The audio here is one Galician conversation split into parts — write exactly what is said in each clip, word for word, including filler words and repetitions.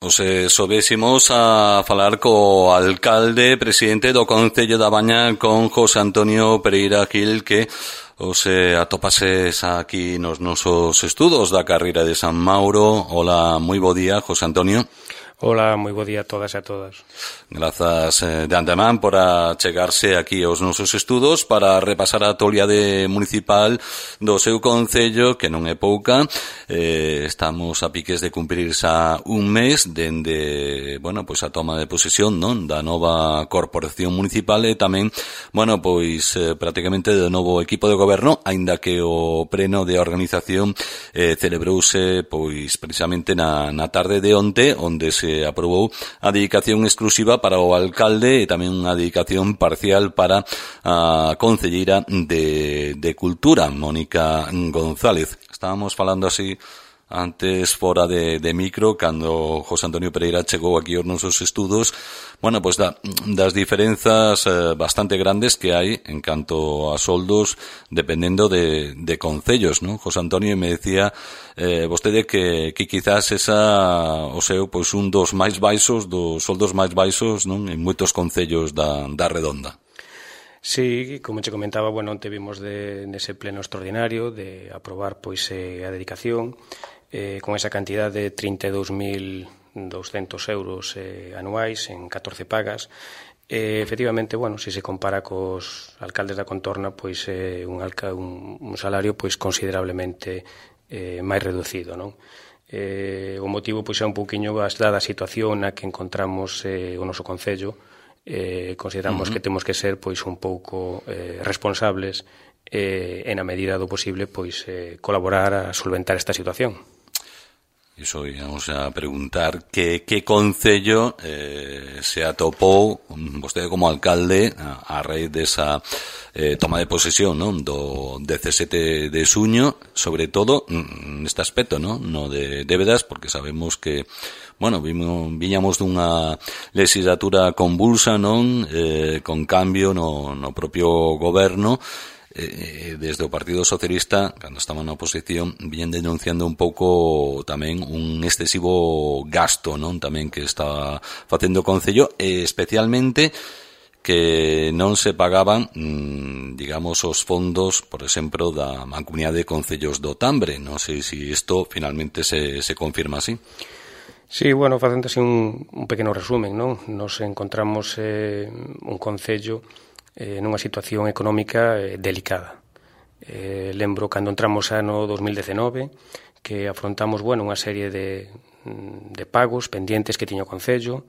Os eh, sobésemos a falar co alcalde, presidente do Concello da Baña, con José Antonio Pereira Gil, que os eh, atopases aquí nos nosos estudos da carreira de San Mauro. Hola, moi bo día, José Antonio. Hola, moi bo día a todas e a todas. Grazas eh, de antemán por achegarse aquí aos nosos estudos para repasar a actualidade municipal do seu concello, que non é pouca. Eh, estamos a piques de cumprir xa un mes dende, bueno, pois a toma de posesión, non, da nova corporación municipal e tamén, bueno, pois eh, prácticamente do novo equipo de goberno, aínda que o pleno de organización eh, celebrouse pois precisamente na, na tarde de onte, onde se aprobou a dedicación exclusiva para o alcalde e tamén unha dedicación parcial para a concelleira de, de Cultura, Mónica González. Estábamos falando así antes fora de, de micro, cando José Antonio Pereira chegou aquí aos nosos estudos, bueno, pois da, das diferenzas eh, bastante grandes que hai en canto a soldos dependendo de, de concellos, non? José Antonio me decía eh, vostede que, que quizás esa, o seu, pois un dos máis baixos, dos soldos máis baixos, non? En moitos concellos da, da Redonda. Sí, como che comentaba, bueno, onte vimos de, nese pleno extraordinario de aprobar pois eh, a dedicación eh, con esa cantidad de trinta e dous mil douscentos euros eh, anuais en catorce pagas. Eh, efectivamente, bueno, se se compara cos alcaldes da contorna, pois é eh, un, un, un salario pois considerablemente eh, máis reducido, non? Eh, o motivo pois é un pouquiño dada a situación na que encontramos eh, o noso concello. Eh, consideramos uh-huh. que temos que ser pois un pouco eh, responsables eh, e na medida do posible pois eh, colaborar a solventar esta situación. Iso íamos a preguntar que, que concello eh, se atopou vostede como alcalde a, a raíz desa eh, toma de posesión, non, do dezasete de xuño, sobre todo neste aspecto, non, no de débedas, porque sabemos que, bueno, vimos, viñamos dunha legislatura convulsa, non, eh, con cambio no, no propio goberno. Eh, desde o Partido Socialista, cando estaba na oposición, viñen denunciando un pouco tamén un excesivo gasto, non, tamén que está facendo o Concello, e especialmente que non se pagaban, mmm, digamos, os fondos, por exemplo, da Mancomunidade de Concellos do Tambre. Non sei se isto finalmente se, se confirma así. Sí, bueno, facendo así un, un pequeno resumen, non? Nos encontramos eh, un concello eh, nunha situación económica eh, delicada. Eh, lembro cando entramos ano dos mil dezenove que afrontamos, bueno, unha serie de, de pagos pendientes que tiña o concello.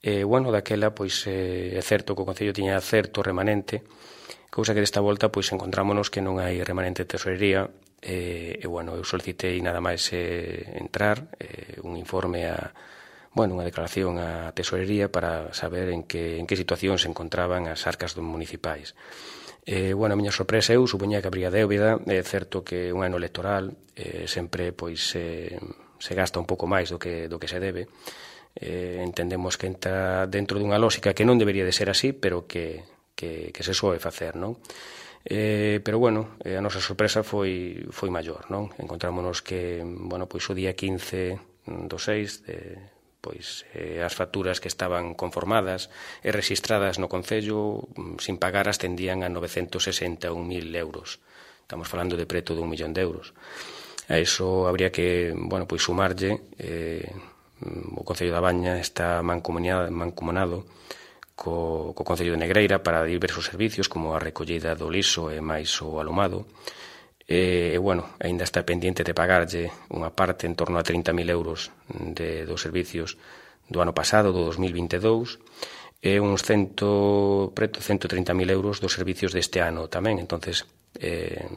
E, eh, bueno, daquela, pois, eh, é certo que o concello tiña certo remanente, cousa que desta volta, pois, encontrámonos que non hai remanente de tesorería. E, e bueno, eu solicitei nada máis eh, entrar eh, un informe a, bueno, unha declaración á tesorería para saber en que, en que situación se encontraban as arcas municipais. Eh, bueno, a miña sorpresa, eu supoñía que habría débeda. É certo que un ano electoral eh, sempre pois eh, se gasta un pouco máis do que, do que se debe. Eh, entendemos que entra dentro dunha lógica que non debería de ser así, pero que, que, que se soe facer, non? Eh, pero bueno, eh, a nosa sorpresa foi foi maior, non? Encontrámonos que, bueno, pois o día quince do seis de, pois eh, as facturas que estaban conformadas e registradas no concello sin pagar ascendían a novecentos sesenta e un mil euros. Estamos falando de preto dun millón de euros. A iso habría que, bueno, pois sumarlle eh, o Concello da Baña está mancomunado co, co Concello de Negreira para diversos servicios como a recollida do liso e máis o alumado. E, e bueno, ainda está pendiente de pagarlle unha parte en torno a trinta mil euros de, dos servicios do ano pasado, do dos mil vinte e dous, e uns cento, preto cento e trinta mil euros dos servicios deste ano tamén. Entonces, eh,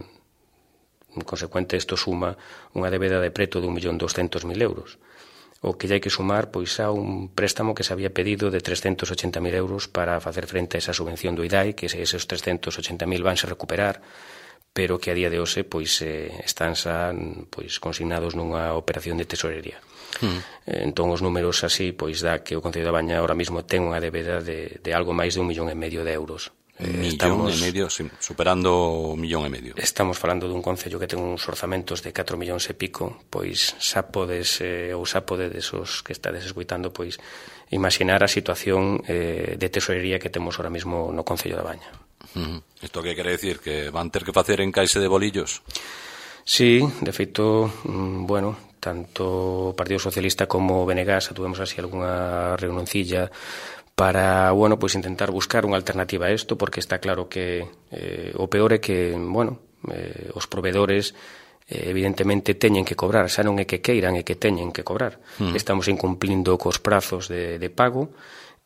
en consecuente, isto suma unha débeda de preto de un millón doscentos mil euros. O que hai que sumar, pois, a un préstamo que se había pedido de trescentos ochenta mil euros para facer frente a esa subvención do I D A I, que esos trescentos ochenta mil vanse recuperar, pero que a día de hoxe pois eh, están xa pois consignados nunha operación de tesorería. Mm. Entón os números así pois dá que o Concello da Baña ahora mismo ten unha débeda de, de algo máis de un millón e medio de euros Millón estamos, e medio, sí, superando un millón e medio. Estamos falando dun concello que ten uns orzamentos de catro millóns e pico, pois xa podes, eh, ou xa podedes os que estades escuitando, pois imaginar a situación eh, de tesorería que temos ahora mismo no Concello da Baña. Uh-huh. Isto que quere decir? Que van ter que facer encaixe de bolillos? Sí, de feito, bueno, tanto o Partido Socialista como o B N G A tuvemos así algunha reunioncilla para, bueno, pois intentar buscar unha alternativa a isto, porque está claro que eh, o peor é que, bueno, eh, os provedores eh, evidentemente teñen que cobrar, xa non é que queiran, é que teñen que cobrar. Mm. Estamos incumplindo cos prazos de, de pago,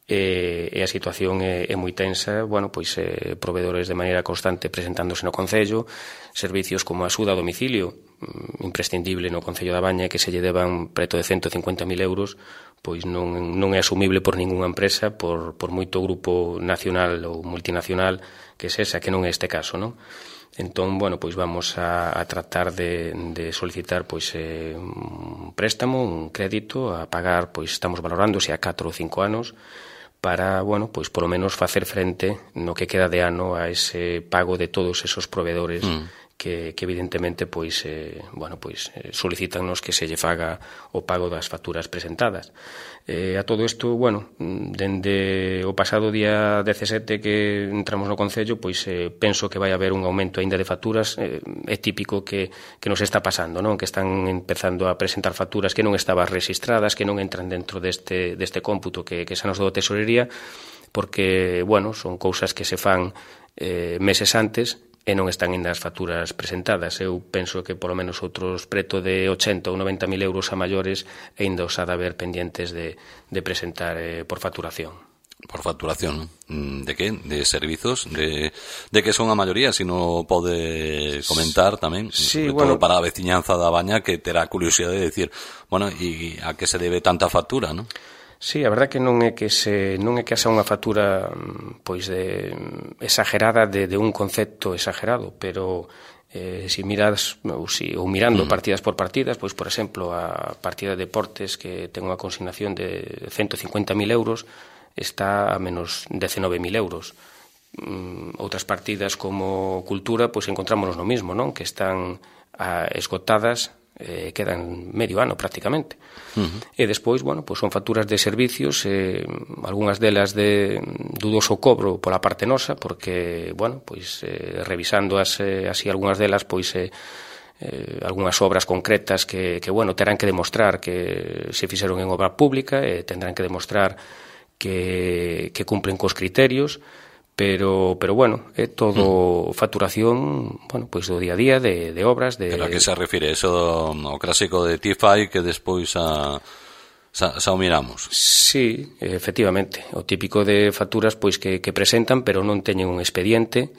e, e a situación é, é moi tensa, bueno, pois eh, provedores de maneira constante presentándose no Concello, servicios como a axuda a domicilio, imprescindible no Concello da Baña, que se lle deban preto de ciento cincuenta mil euros, pois non, non é asumible por ningunha empresa, por, por moito grupo nacional ou multinacional que sexa, que non é este caso, non? Entón, bueno, pois vamos a, a tratar de, de solicitar pois eh, un préstamo, un crédito a pagar, pois estamos valorándose a catro ou cinco anos, para, bueno, pois polo menos facer frente no que queda de ano a ese pago de todos esos provedores mm. que, que evidentemente pois eh, bueno, pois eh, solicitannos que se lle faga o pago das facturas presentadas. Eh, a todo isto, bueno, dende o pasado día dezasete que entramos no Concello, pois eh, penso que vai haber un aumento aínda de facturas. Eh, é típico que, que nos está pasando, non? Que están empezando a presentar facturas que non estaban registradas, que non entran dentro deste, deste cómputo que, que xa nos dou a tesorería, porque, bueno, son cousas que se fan eh, meses antes e non están ainda as facturas presentadas. Eu penso que polo menos outros preto de ochenta ou noventa mil euros a maiores ainda os ha de haber pendientes de, de presentar eh, por facturación. Por facturación, de que? De servizos? De, de que son a maioría, se non pode comentar tamén, sí, sobre bueno, todo para a veciñanza da Baña, que terá curiosidade de decir, bueno, e a que se debe tanta factura, non? Sí, a verdad que non é que se non é que haxa unha factura pois de exagerada de, de un concepto exagerado, pero eh, si miras ou, si, ou mirando mm. partidas por partidas, pois por exemplo a partida de deportes que ten unha consignación de ciento cincuenta mil euros está a menos diecinueve mil euros. Mm, outras partidas como cultura, pois encontrámonos no mismo, non? Que están a, esgotadas, eh, quedan medio ano prácticamente. Uh-huh. E despois, bueno, pois son facturas de servicios, eh, algunhas delas de dudoso cobro pola parte nosa, porque, bueno, pois eh, revisando as, eh, así algunhas delas, pois eh, eh, algunhas obras concretas que, que, bueno, terán que demostrar que se fixeron en obra pública, e eh, tendrán que demostrar que, que cumplen cos criterios, pero pero bueno, é todo mm. facturación, bueno, pois do día a día de, de obras de... Pero a que se refire? Eso o clásico de T I F A I que despois a xa, xa o miramos. Sí, efectivamente, o típico de facturas pois que, que presentan, pero non teñen un expediente,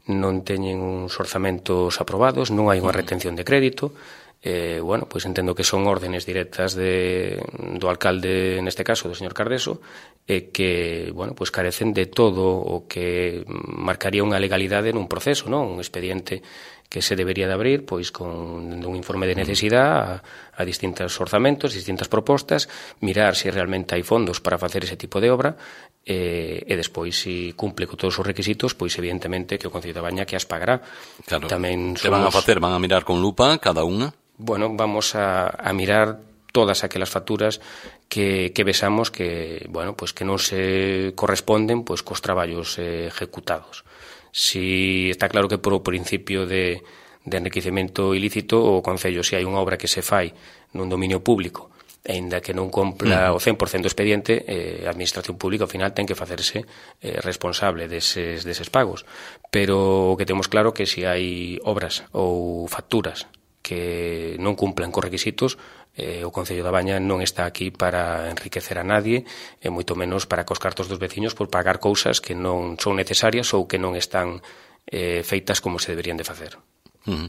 non teñen uns orzamentos aprobados, non hai unha retención de crédito. Eh, bueno, pois entendo que son órdenes directas de, do alcalde, neste caso, do señor Cardeso, e que, bueno, pois carecen de todo o que marcaría unha legalidade nun proceso, non? Un expediente que se debería de abrir, pois con un informe de necesidade a, a distintos orzamentos, distintas propostas, mirar se realmente hai fondos para facer ese tipo de obra, e, e despois, se cumple con todos os requisitos, pois evidentemente que o Concello da Baña que as pagará. Claro, tamén que van a facer? Van a mirar con lupa cada unha? Bueno, vamos a, a mirar todas aquelas facturas que, que vexamos que, bueno, pues que non se corresponden pois cos traballos eh, ejecutados. Si está claro que por o principio de, de enriquecemento ilícito, o Concello, se hai unha obra que se fai nun dominio público, aínda que non cumpla o cen por cento do expediente, eh, a administración pública ao final ten que facerse eh, responsable deses, deses pagos. Pero o que temos claro que se hai obras ou facturas que non cumplan cos requisitos, eh, o Concello da Baña non está aquí para enriquecer a nadie, e moito menos para cos cartos dos veciños por pagar cousas que non son necesarias ou que non están eh, feitas como se deberían de facer. Uh-huh.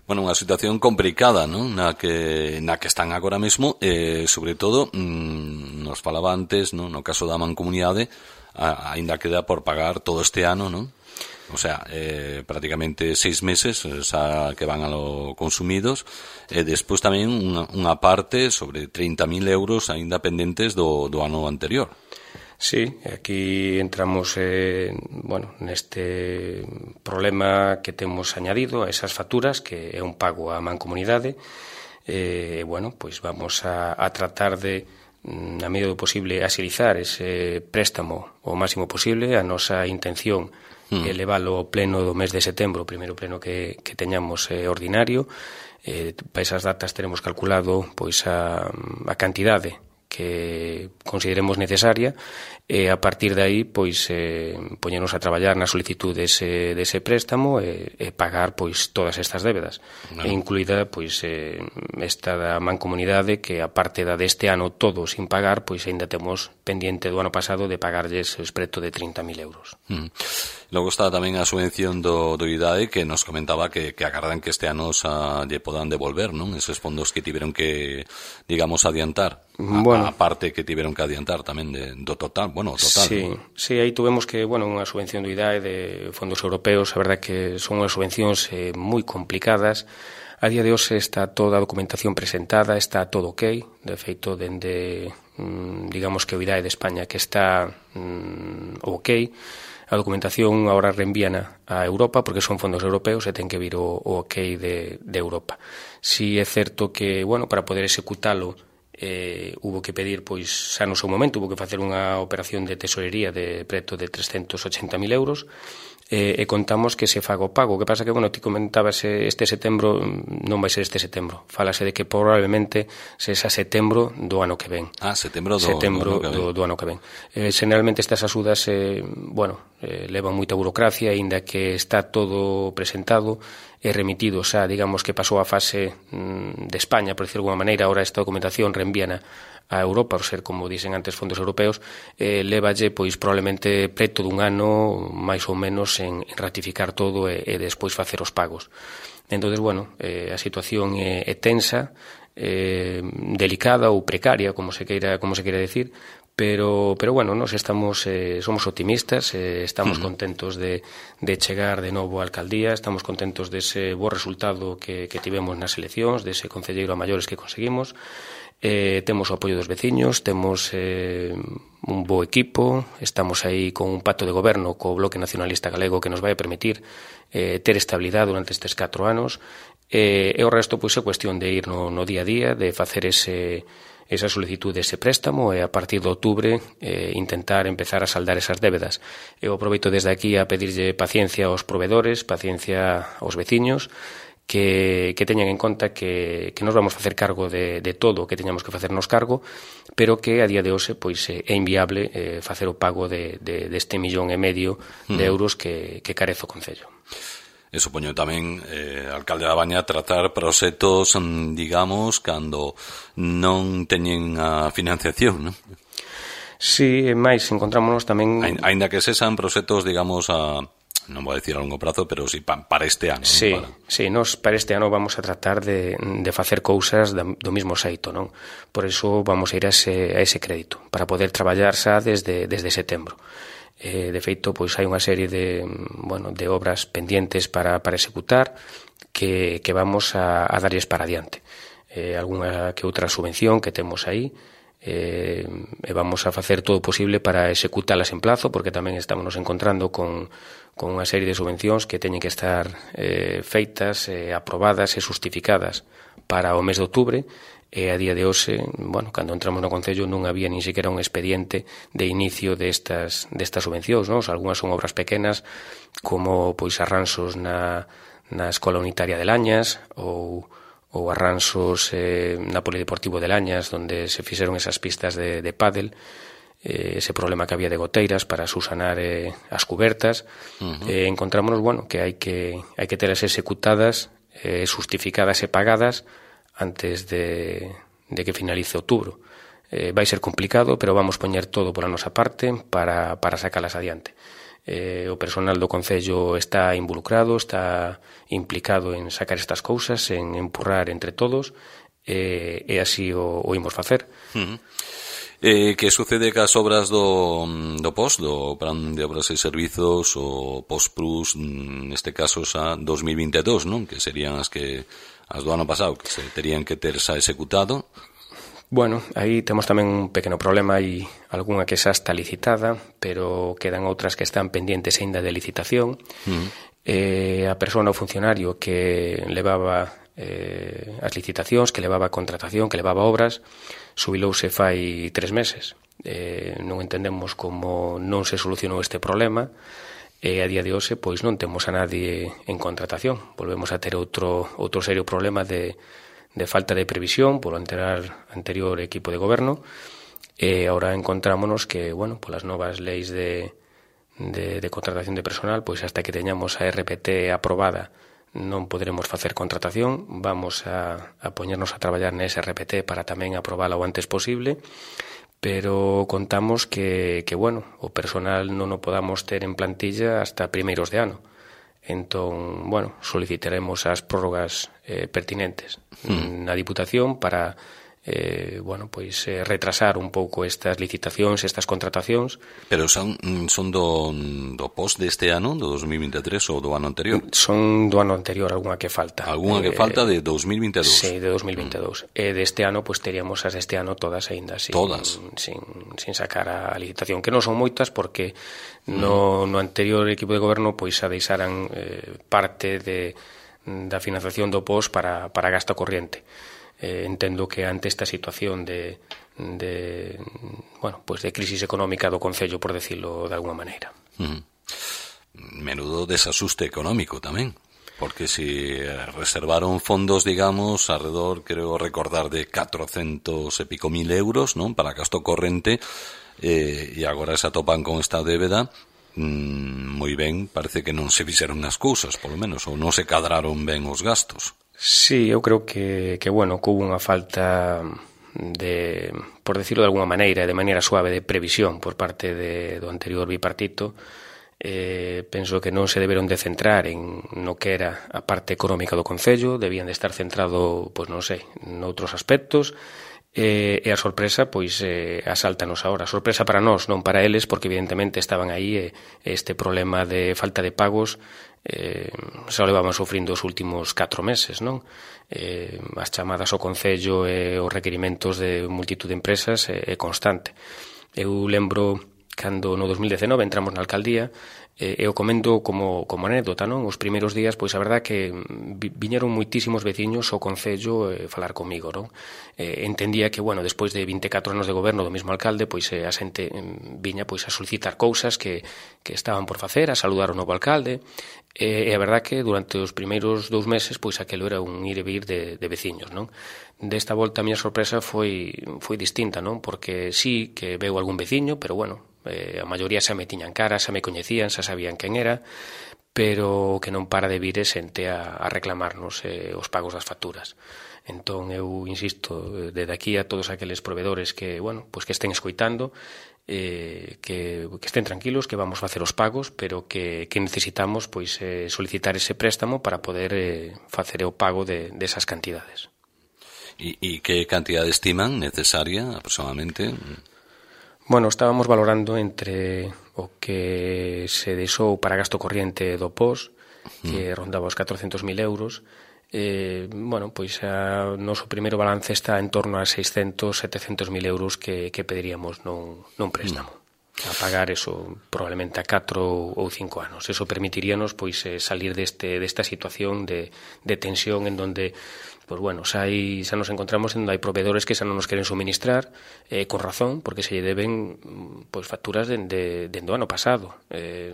Bueno, unha situación complicada, non? Na que na que están agora mesmo, eh, sobre todo, mmm, nos falaba antes, non? No caso da mancomunidade, a, aínda queda por pagar todo este ano, non? O sea, eh, prácticamente seis meses xa que van a lo consumidos, e despois tamén unha, unha parte sobre treinta mil euros aínda pendentes do, do ano anterior. Sí, aquí entramos eh, bueno, neste problema que temos añadido a esas facturas, que é un pago á mancomunidade. E, eh, bueno, pois vamos a, a tratar de, na medida do posible, axilizar ese préstamo o máximo posible. A nosa intención é mm. leválo ao pleno do mes de setembro, o primeiro pleno que, que teñamos eh, ordinario. Eh, para esas datas teremos calculado pois a, a cantidade que consideremos necesaria e a partir de aí pois eh, poñernos a traballar na solicitud dese, dese préstamo e, e pagar pois todas estas débedas, no. e incluída pois eh, esta da mancomunidade, que aparte da deste ano todo sin pagar, pois ainda temos pendiente do ano pasado de pagarlles os preto de trinta mil euros. Mm. Logo está tamén a subvención do, do I D A E, que nos comentaba que, que agardan que este ano sa, lle podan devolver, non? Esos fondos que tiveron que, digamos, adiantar. Bueno, a, a parte que tiveron que adiantar tamén de, do total, bueno, o total. Sí, ¿no? Sí, aí tuvemos que, bueno, unha subvención do I D A E de fondos europeos, a verdade que son unhas subvencións eh, moi complicadas. A día de hoxe está toda a documentación presentada, está todo ok, de feito, dende, digamos que o I D A E de España que está mm, ok. A documentación agora reenvíana a Europa porque son fondos europeos e ten que vir o, o ok de, de Europa. Si é certo que, bueno, para poder executalo eh, hubo que pedir, pois, xa no seu momento, hubo que facer unha operación de tesorería de preto de trescentos ochenta mil euros, e, e contamos que se faga o pago. O que pasa que, bueno, ti comentabas este setembro, non vai ser este setembro, falase de que probablemente se xa setembro do ano que ven. Ah, setembro do, setembro do, do, do ano que ven. Eh, generalmente estas axudas, eh, bueno, eh, levan moita burocracia, aínda que está todo presentado e remitido xa, digamos que pasou a fase mm, de España, por decir de alguma maneira. Ahora esta documentación reenvíana a Europa, por ser, como dicen antes, fondos europeos, eh, levalle, pois, probablemente preto dun ano, máis ou menos, en, en ratificar todo e, e despois facer os pagos. Entonces, bueno, eh, a situación é, é tensa, eh, delicada ou precaria, como se queira, como se queira decir, pero, pero bueno, nos estamos, eh, somos optimistas, eh, estamos uh-huh. contentos de, de chegar de novo á alcaldía, estamos contentos dese bo resultado que, que tivemos nas eleccións, dese concelleiro a maiores que conseguimos. Eh, temos o apoio dos veciños, temos eh, un bo equipo, estamos aí con un pacto de goberno co Bloque Nacionalista Galego que nos vai a permitir eh, ter estabilidade durante estes catro anos, eh, e o resto pois é cuestión de ir no, no día a día, de facer ese, esa solicitud dese préstamo e a partir de outubro eh, intentar empezar a saldar esas débedas. Eu aproveito desde aquí a pedirlle paciencia aos provedores, paciencia aos veciños, que, que teñan en conta que, que nos vamos a facer cargo de, de todo o que teñamos que facernos cargo, pero que a día de hoxe pois, é inviable eh, facer o pago de, de, deste millón e medio de euros que, que carece o Concello. E supoño tamén, eh, alcalde da Baña, tratar proxectos, digamos, cando non teñen a financiación, non? Sí, máis, encontrámonos tamén... Ainda que sexan proxectos, digamos, a... non vou dicir a longo prazo, pero si pa, para este ano. Sí, para... sí, nos para este ano vamos a tratar de, de facer cousas do mesmo xeito, non? Por iso vamos a ir a ese, a ese crédito, para poder traballar xa desde, desde setembro. Eh, de feito, pois hai unha serie de, bueno, de obras pendientes para, para executar que, que vamos a, a darlles para adiante. Eh, algunha que outra subvención que temos aí, eh, e vamos a facer todo o posible para executalas en plazo, porque tamén estamos nos encontrando con, con unha serie de subvencións que teñen que estar eh, feitas, eh, aprobadas e justificadas para o mes de outubro, e a día de hoxe, bueno, cando entramos no Concello non había nin sequera un expediente de inicio destas, destas subvencións, non? Algúnas son obras pequenas, como pois arranxos na, na Escola Unitaria de Lañas, ou ou arranxos eh, na Polideportivo de Lañas, onde se fixeron esas pistas de, de pádel, eh, ese problema que había de goteiras para susanar eh, as cubertas. Uh-huh. eh, encontrámonos, bueno, que hai que hai que telas executadas, eh, justificadas e pagadas antes de, de que finalice outubro. Eh, vai ser complicado, pero vamos poñer todo pola nosa parte para, para sacalas adiante. Eh, o personal do Concello está involucrado, está implicado en sacar estas cousas, en empurrar entre todos, eh, e así o, o imos facer. Uh-huh. Eh, que sucede cas obras do, do P O S, do Plan de Obras e Servizos, o P O S Plus, neste caso xa dos mil vinte e dous, non? Que serían as que as do ano pasado, que se terían que ter xa executado. Bueno, aí temos tamén un pequeno problema, hai algunha que xa está licitada, pero quedan outras que están pendientes aínda de licitación. Uh-huh. Eh, a persona ou funcionario que levaba eh, as licitacións, que levaba a contratación, que levaba obras, subilouse fai tres meses. Eh, non entendemos como non se solucionou este problema, e a día de hoxe pois non temos a nadie en contratación. Volvemos a ter outro outro serio problema de, de falta de previsión polo anterior, anterior equipo de goberno, e agora encontrámonos que, bueno, polas novas leis de, de, de contratación de personal, pois hasta que teñamos a R P T aprobada non poderemos facer contratación. Vamos a, a poñernos a traballar nese R P T para tamén aprobala o antes posible, pero contamos que, que bueno, o personal non o podamos ter en plantilla hasta primeiros de ano. Entón, bueno, solicitaremos as prórrogas eh, pertinentes mm. na Diputación para eh, bueno, pois eh, retrasar un pouco estas licitacións, estas contratacións. Pero son, son do, do post deste ano, do dos mil vinte e tres, ou do ano anterior? Son do ano anterior, algunha que falta. Algunha que eh, falta de dos mil vinte e dous? Sí, de dos mil vinte e dous. Mm. E deste ano, pois teríamos as deste ano todas aínda sin, todas? Sin, sin sacar a licitación, que non son moitas porque no, no anterior equipo de goberno pois a deixaran eh, parte de, da financiación do post para, para gasto corriente. Eh, entendo que ante esta situación de, de bueno, pues de crisis económica do Concello, por decirlo de alguna maneira. Uh-huh. Menudo desasuste económico tamén, porque si reservaron fondos, digamos, alrededor, creo recordar, de catrocentos e pico mil euros, non, para gasto corrente, eh, e agora se atopan con esta débeda. Mm, moi ben, parece que non se fixeron as cousas, polo menos, ou non se cadraron ben os gastos. Sí, eu creo que, que bueno, que hubo unha falta de, por decirlo de alguna maneira, de maneira suave, de previsión por parte de, do anterior bipartito. Eh, penso que non se deberon de centrar en no que era a parte económica do Concello, debían de estar centrado, pois non sei, noutros aspectos. E, e a sorpresa, pois, eh, asáltanos agora. Sorpresa para nós, non para eles, porque evidentemente estaban aí e este problema de falta de pagos eh, xa o levaban sufrindo os últimos catro meses, non? Eh, as chamadas ao Concello e os requerimentos de multitud de empresas é, é constante. Eu lembro cando no dos mil dezenove entramos na alcaldía, e eu comento como, como anécdota, non? Os primeiros días, pois a verdad que viñeron moitísimos veciños ao Concello eh, falar comigo, non? Eh, entendía que, bueno, despois de vinte e catro anos de goberno do mesmo alcalde, pois eh, a xente eh, viña pois a solicitar cousas que, que estaban por facer, a saludar o novo alcalde, e, e a verdad que durante os primeiros dous meses, pois aquelo era un ir e vir de, de veciños, non? Desta volta a miña sorpresa foi, foi distinta, non? Porque sí que veu algún veciño, pero bueno, Eh, a maioría xa me tiñan cara, xa me coñecían, xa sabían quen era, pero que non para de vir xente a, a reclamarnos eh, os pagos das facturas. Entón, eu insisto, desde aquí a todos aqueles proveedores que, bueno, pues que estén escoitando, eh, que, que estén tranquilos, que vamos facer os pagos, pero que, que necesitamos pois eh, solicitar ese préstamo para poder eh, facer o pago de, de esas cantidades. E, e que cantidade estiman necesaria aproximadamente? Bueno, estábamos valorando entre o que se deixou para gasto corriente do P O S, que mm. rondaba os catrocentos mil euros. Eh, bueno, pois o noso primeiro balance está en torno a seiscentos, setecentos mil euros que, que pediríamos nun, nun préstamo. Mm. A pagar eso probablemente a catro ou cinco anos. Eso permitiríanos pois salir deste desta situación de, de tensión en donde pois bueno, xa, hai, xa nos encontramos en donde hai proveedores que xa non nos queren suministrar eh, con razón, porque se lle deben pois facturas dende de, de, o ano pasado. Eh,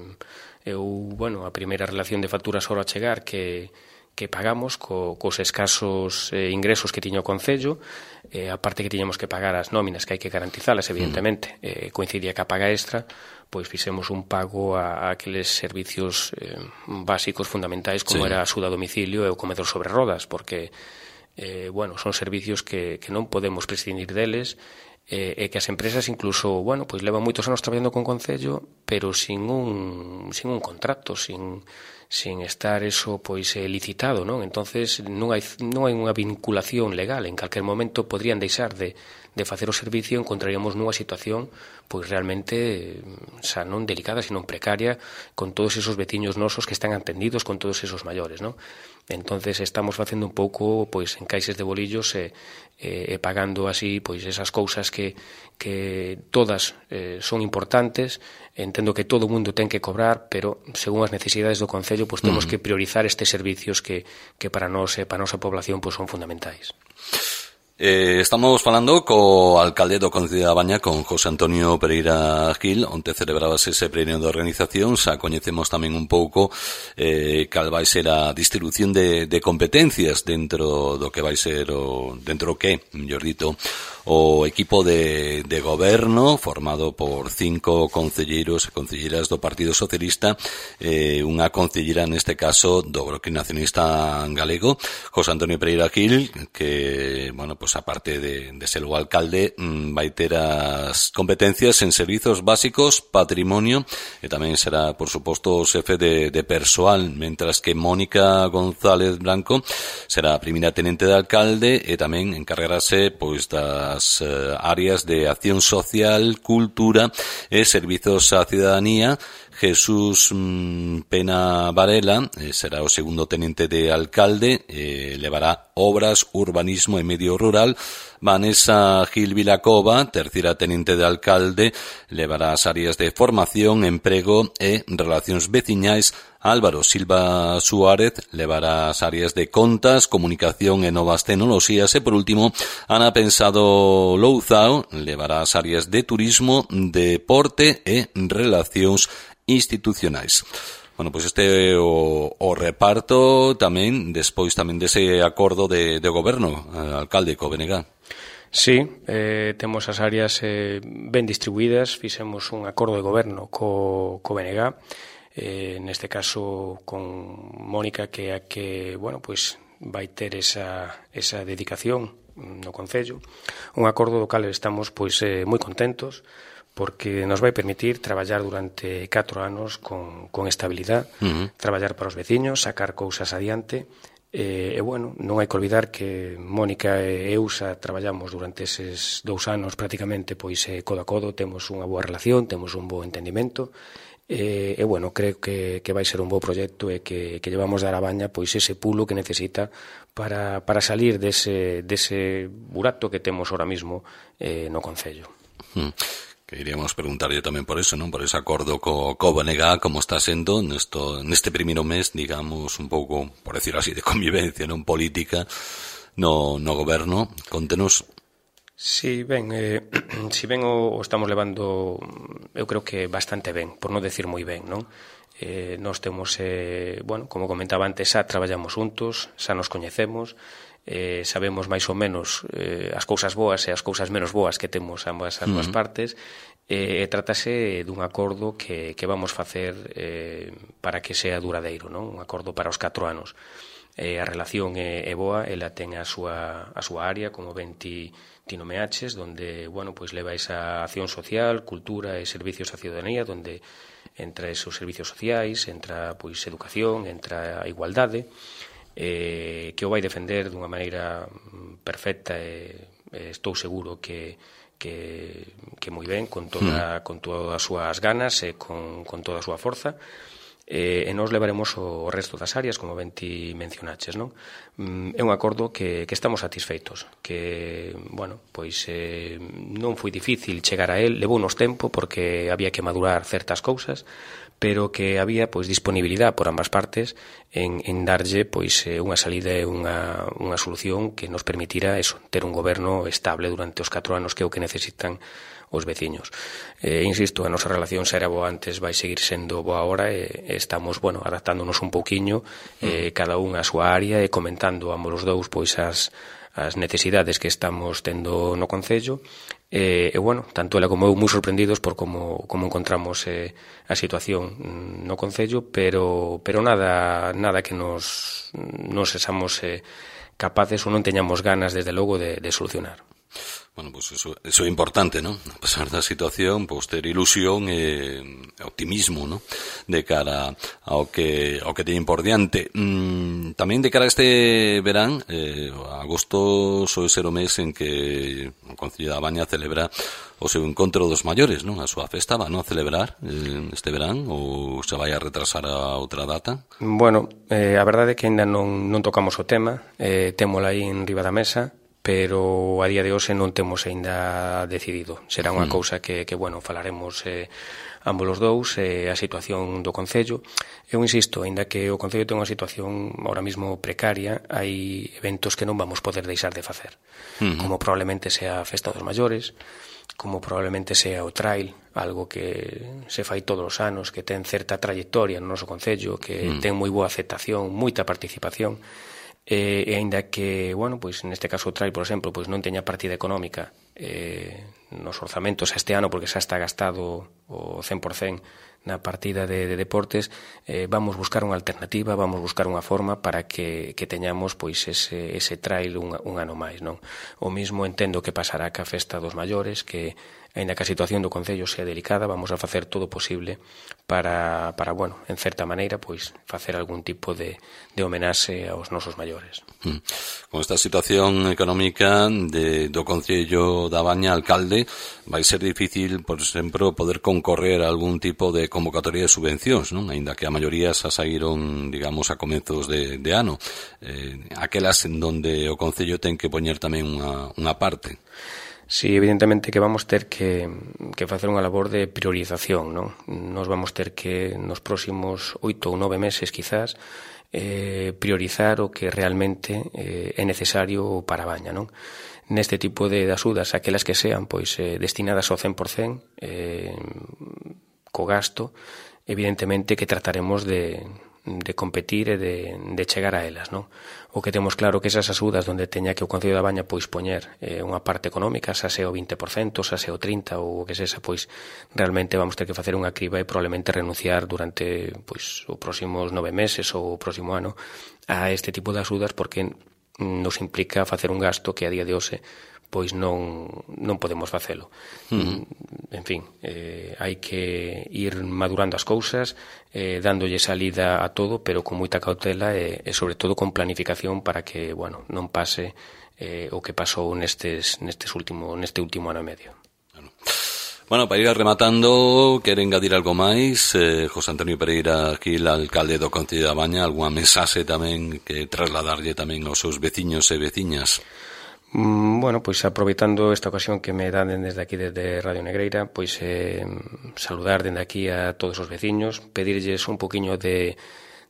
eu, bueno, a primeira relación de facturas ahora a chegar que, que pagamos co, cos escasos eh, ingresos que tiña o Concello, eh, a parte que tiñamos que pagar as nóminas, que hai que garantizalas, evidentemente, eh, coincidía que a paga extra, pois fixemos un pago a, a aqueles servicios eh, básicos, fundamentais, como sí. era a axuda a domicilio e o comedor sobre rodas, porque Eh, bueno, son servicios que, que non podemos prescindir deles eh, e que as empresas incluso, bueno, pois levan moitos anos traballando con Concello, pero sin un, sin un contrato, sin, sin estar eso pois eh, licitado, non? Entonces non hai non hai unha vinculación legal, en calquer momento podrían deixar de de facer o servicio, encontraríamos nunha situación pois realmente xa non delicada, sino precaria, con todos esos veciños nosos que están atendidos, con todos esos maiores, non? Entonces estamos facendo un pouco pois encaixes de bolillos e, e, e pagando así pois esas cousas que, que todas eh, son importantes. Entendo que todo o mundo ten que cobrar, pero según as necesidades do Concello pois temos que priorizar estes servicios que, que para nós e para a nosa población pois son fundamentais. Eh, estamos falando co alcalde do Concello da Baña, con José Antonio Pereira Gil, onde celebrabase ese pleno de organización. Xa coñecemos tamén un pouco eh, cal vai ser a distribución de, de competencias dentro do que vai ser o, dentro do que, mellor dito, o equipo de, de goberno formado por cinco concelleiros e concelleiras do Partido Socialista, eh, unha concellera neste caso do Bloque Nacionalista Galego, José Antonio Pereira Gil, que, bueno, pues aparte de, de ser o alcalde, mmm, vai ter as competencias en servizos básicos, patrimonio, e tamén será, por suposto, o xefe de, de persoal, mentras que Mónica González Blanco será a primeira tenente de alcalde e tamén encargarase pois das eh, áreas de acción social, cultura e servizos á cidadanía. Jesús mmm, Pena Varela eh, será o segundo tenente de alcalde, eh, levará obras, urbanismo e medio rural. Vanessa Gil Vilacova, terceira tenente de alcalde, levará as áreas de formación, emprego e relacións veciñais. Álvaro Silva Suárez levará as áreas de contas, comunicación e novas tecnoloxías. E, por último, Ana Pensado Louzao levará as áreas de turismo, deporte e relacións institucionais. Bueno, pois pues este é o, o reparto tamén, despois tamén dese acordo de, de goberno, eh, alcalde, co B N G. Sí, eh, temos as áreas eh, ben distribuídas, fixemos un acordo de goberno co, co B N G, eh, neste caso con Mónica, que é a que, bueno, pois vai ter esa, esa dedicación no Concello, un acordo do cal estamos pois eh, moi contentos, porque nos vai permitir traballar durante catro anos con, con estabilidade, uh-huh. traballar para os veciños, sacar cousas adiante. E, e, bueno, non hai que olvidar que Mónica e eu xa traballamos durante eses dous anos prácticamente pois eh, codo a codo, temos unha boa relación, temos un bo entendimento, e, e bueno, creo que, que vai ser un bo proxecto e que, que llevamos dar a Baña pois ese pulo que necesita para, para salir dese, dese burato que temos ahora mismo eh, no Concello. Uh-huh. Que iríamos preguntarlle tamén por eso, non? Por ese acordo co, co B N G, como está sendo nesto, neste primeiro mes, digamos, un pouco, por decir así, de convivencia, non política, no, no goberno. Contenos. Sí, ben, eh, si ben o, o estamos levando, eu creo que bastante ben, por non decir moi ben, non? Eh, nós temos, eh, bueno, como comentaba antes, xa traballamos juntos, xa nos coñecemos, eh, sabemos máis ou menos eh, as cousas boas e as cousas menos boas que temos ambas as dúas uh-huh. partes, e eh, trátase dun acordo que, que vamos facer eh, para que sea duradeiro, non? Un acordo para os catro anos. Eh, a relación é, é boa, ela ten a súa, a súa área, como ben ti, ti nomeaches, donde, bueno, pois leva esa acción social, cultura e servicios á ciudadanía, donde entra esos servicios sociais, entra pois educación, entra a igualdade, eh, que o vai defender dunha maneira perfecta e eh, estou seguro que, que, que moi ben, con toda, mm. con todas as súas ganas e con, con toda a súa forza. Eh, e nos levaremos o resto das áreas, como ben ti mencionaches, non? Mm, é un acordo que, que estamos satisfeitos, que, bueno, pois eh, non foi difícil chegar a él, levou nos tempo porque había que madurar certas cousas, pero que había pois disponibilidade por ambas partes en, en darlle pois unha salida e unha, unha solución que nos permitira eso, ter un goberno estable durante os catro anos, que é o que necesitan os veciños. Eh, insisto, a nosa relación xa era boa antes, vai seguir sendo boa ahora, e, e estamos, bueno, adaptándonos un pouquiño, eh, cada un a súa área, e comentando ambos os dous pois as, as necesidades que estamos tendo no Concello. E, e bueno, tanto ela como eu moi sorprendidos por como, como encontramos eh, a situación no Concello, pero, pero nada, nada que nos, nos sesamos eh, capaces ou non teñamos ganas, desde logo, de, de solucionar. Bueno, pues eso, eso é importante, ¿no? A pesar da situación, pues ter ilusión e optimismo, ¿no? De cara ao que ao que teñen por diante. Mm, tamén de cara a este verán, eh, agosto soe ser o mes en que o Concello da Baña celebra o seu encontro dos maiores, non? A súa festa va, non? A celebrar eh, este verán ou se vai a retrasar a outra data? Bueno, eh, a verdade é que ainda non, non tocamos o tema, eh, témola aí en riba da mesa, pero a día de hoxe non temos aínda decidido. Será unha mm. cousa que, que, bueno, falaremos eh, ambos os dous, eh, a situación do Concello. Eu insisto, aínda que o Concello ten unha situación ahora mismo precaria, hai eventos que non vamos poder deixar de facer, mm. como probablemente sea a Festa dos Maiores, como probablemente sea o trail, algo que se fai todos os anos, que ten certa trayectoria no noso Concello, que mm. ten moi boa aceptación, moita participación, e, e aínda que, bueno, pois neste caso o trail, por exemplo, pois non teña partida económica eh, nos orzamentos este ano, porque xa está gastado o cen por cen na partida de, de deportes, eh, vamos buscar unha alternativa, vamos buscar unha forma para que, que teñamos pois ese, ese trail un, un ano máis, non? O mismo entendo que pasará ca Festa dos Maiores, que aínda que a situación do Concello sea delicada, vamos a facer todo o posible para, para, bueno, en certa maneira, pois, facer algún tipo de, de homenaxe aos nosos maiores. Mm. Con esta situación económica de, do Concello da Baña, alcalde, vai ser difícil, por exemplo, poder concorrer a algún tipo de convocatoria de subvencións, non? Aínda que a maioría xa saíron, digamos, a comezos de, de ano. Eh, aquelas en donde o Concello ten que poñer tamén unha, unha parte. Sí, evidentemente que vamos ter que, que facer unha labor de priorización, non? Nos vamos ter que, nos próximos oito ou nove meses, quizás, eh, priorizar o que realmente eh, é necesario para a Baña, non? Neste tipo de axudas, aquelas que sean pois eh, destinadas ao cen por cen, eh, co gasto, evidentemente que trataremos de, de competir e de, de chegar a elas, non? O que temos claro que esas axudas donde teña que o Concello da Baña pois poñer eh, unha parte económica, xa sea o vinte por cento, xa sea o trinta por cento ou o que sexa, pois realmente vamos ter que facer unha criba e probablemente renunciar durante pois os próximos nove meses ou o próximo ano a este tipo de axudas, porque nos implica facer un gasto que a día de hoxe pois non, non podemos facelo. Uh-huh. En fin, eh, hai que ir madurando as cousas, eh, dándolle salida a todo, pero con moita cautela e, e sobre todo con planificación para que, bueno, non pase eh, o que pasou nestes, nestes último, neste último ano e medio. Bueno, para ir rematando, quere engadir algo máis, eh, José Antonio Pereira, aquí o alcalde do Concello da Baña, algunha mensaxe tamén que trasladarlle tamén aos seus veciños e veciñas? Bueno, pois aproveitando esta ocasión que me dan desde aquí, desde Radio Negreira, pois eh, saludar desde aquí a todos os veciños, pedirlles un poquinho de,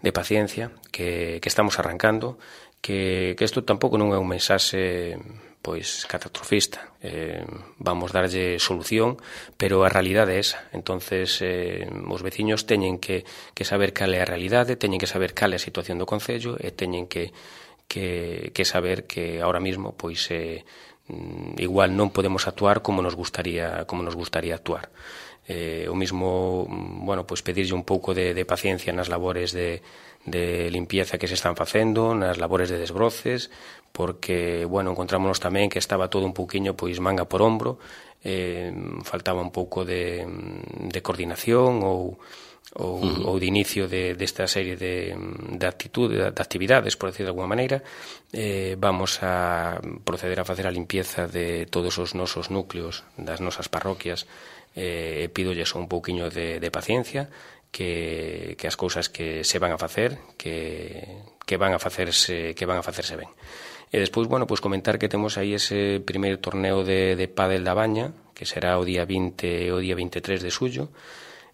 de paciencia, que, que estamos arrancando, que, que isto tampouco non é un mensaxe pois catastrofista, eh, vamos darlle solución, pero a realidade é esa. Entonces eh, os veciños teñen que, que saber cal é a realidade, teñen que saber cal é a situación do Concello e teñen que Que, que saber que ahora mismo pois eh, igual non podemos actuar como nos gustaría como nos gustaría actuar. Eh, o mismo, bueno, pois pedirlle un pouco de, de paciencia nas labores de, de limpieza que se están facendo, nas labores de desbroces, porque, bueno, encontrámonos tamén que estaba todo un pouquiño pois manga por ombro, eh, faltaba un pouco de, de coordinación ou ou, uh-huh. ou de inicio de, desta serie de, de actitudes, de, de actividades, por decir de alguma maneira. Eh, vamos a proceder a facer a limpieza de todos os nosos núcleos das nosas parroquias, e eh, pídolles un pouquiño de, de paciencia, que, que as cousas que se van a facer, que, que van a facerse que van a facerse ben. E despois, bueno, pois comentar que temos aí ese primeiro torneo de, de pádel da Baña, que será o día vinte e o día veintitrés de xullo,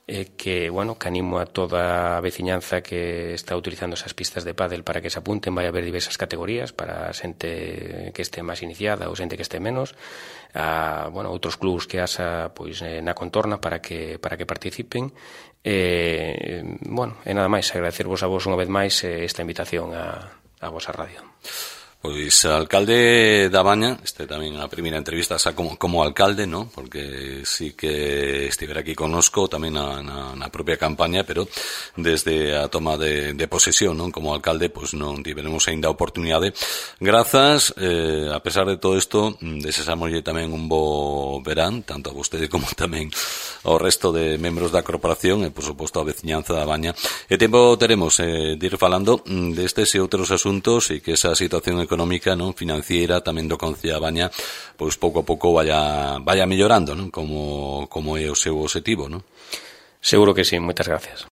eh, que, bueno, que animo a toda a veciñanza que está utilizando esas pistas de pádel para que se apunten. Vai haber diversas categorías para xente que este máis iniciada ou xente que este menos, a, bueno, outros clubs que asa pois na contorna para que para que participen. E, bueno, e nada máis, agradecervos a vos unha vez máis esta invitación a, a vosa radio. Pois alcalde da Baña, este tamén a primeira entrevista xa como, como alcalde, ¿no? Porque sí que estivera aquí connosco tamén na, na, na propia campaña, pero desde a toma de, de posesión, ¿no? Como alcalde, pois non tiveremos aínda a oportunidade. Grazas, eh, a pesar de todo isto, desesámoslle tamén un bo verán, tanto a vostede como tamén ao resto de membros da corporación e, por suposto, a veciñanza da Baña. E tempo teremos eh, de ir falando destes e outros asuntos e que esa situación económica, non, financiera tamén do Concello da Baña, pois pouco a pouco vaya vaya mellorando, non, como como é o seu obxectivo, non? Seguro que sí, moitas gracias.